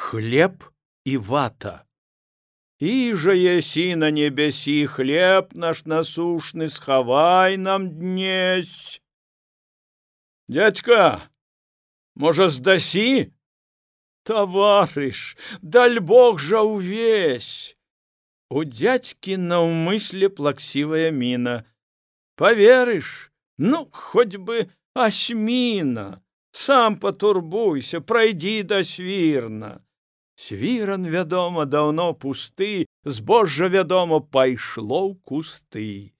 Хлеб и вата. Иже еси на небеси, хлеб наш насушный, схавай нам днесь. Дядька, може, здасі? Товариш, даль Бог жа увесь. У дядьки наўмысле плаксивая мина. Поверишь, ну, хоть бы осьмина. Сам потурбуйся, пройди до свірна. Свіран, вядома, даўно пусты, збожжа, вядома, пайшло ў кусты.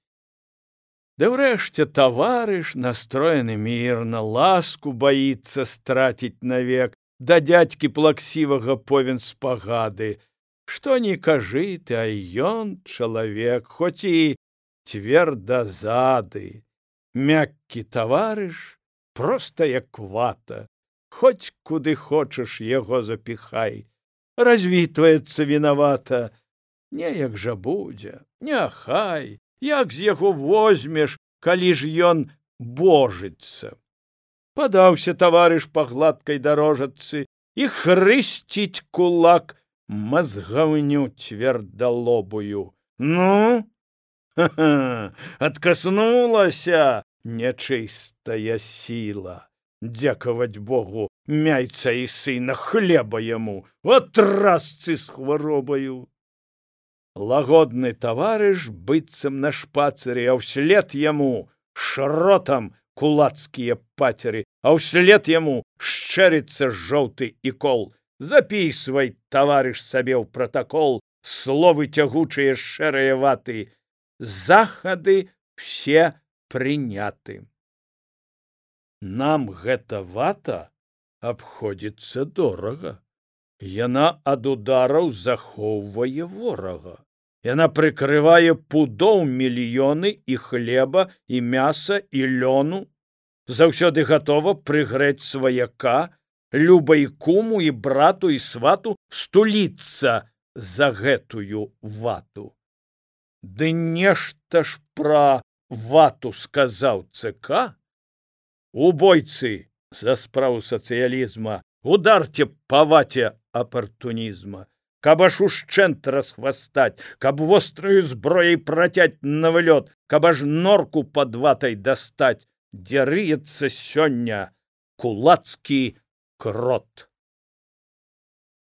Да ўрэшце таварыш, настроены мірна, ласку боится страціць навек, да дядькі плаксівага повен спагады. Што не кажы ты, а ён чалавек, хоць і цвердазады. Мяккі таварыш, проста як вата, хоць куды хочаш яго запіхай. Развітваецца вінавата. Неяк жа будзе, няхай, як з яго возьмеш, калі ж ён божыцца. Падаўся таварыш па гладкай дарожацы і хрысціць кулак мазгаўню цвердалобую. Ну, ха-ха, адкаснулася нячыстая сіла. Дзякаваць Богу, мяйца і сына, хлеба яму, от разцы з хваробаю. Лагодны таварыш быццам на шпацыры, а ўслед яму шротам кулацкія пацеры, а ўслед яму шчэрыцца жоўты ікол. Запісвай, таварыш, сабе ў пратакол словы цягучыя шэрыя ваты. Захады все прыняты. Нам гэта вата абходзіцца дорага. Яна ад удараў захоўвае ворага. Яна прыкрывае пудоў мільёны і хлеба, і мяса, і лёну. Заўсёды гатова прыгрэць сваяка, любай куму і брату і свату стуліцца за гэтую вату. Ды нешта ж пра вату сказаў ЦК. Убойцы за справу сацыялізма, ударце па ваце апартунізма. Каб аж ушчэнт расхвастаць, каб востраю зброяй працяць на вылёт, каб аж норку пад ватай дастаць, дзе рыецца сёння кулацкі крот.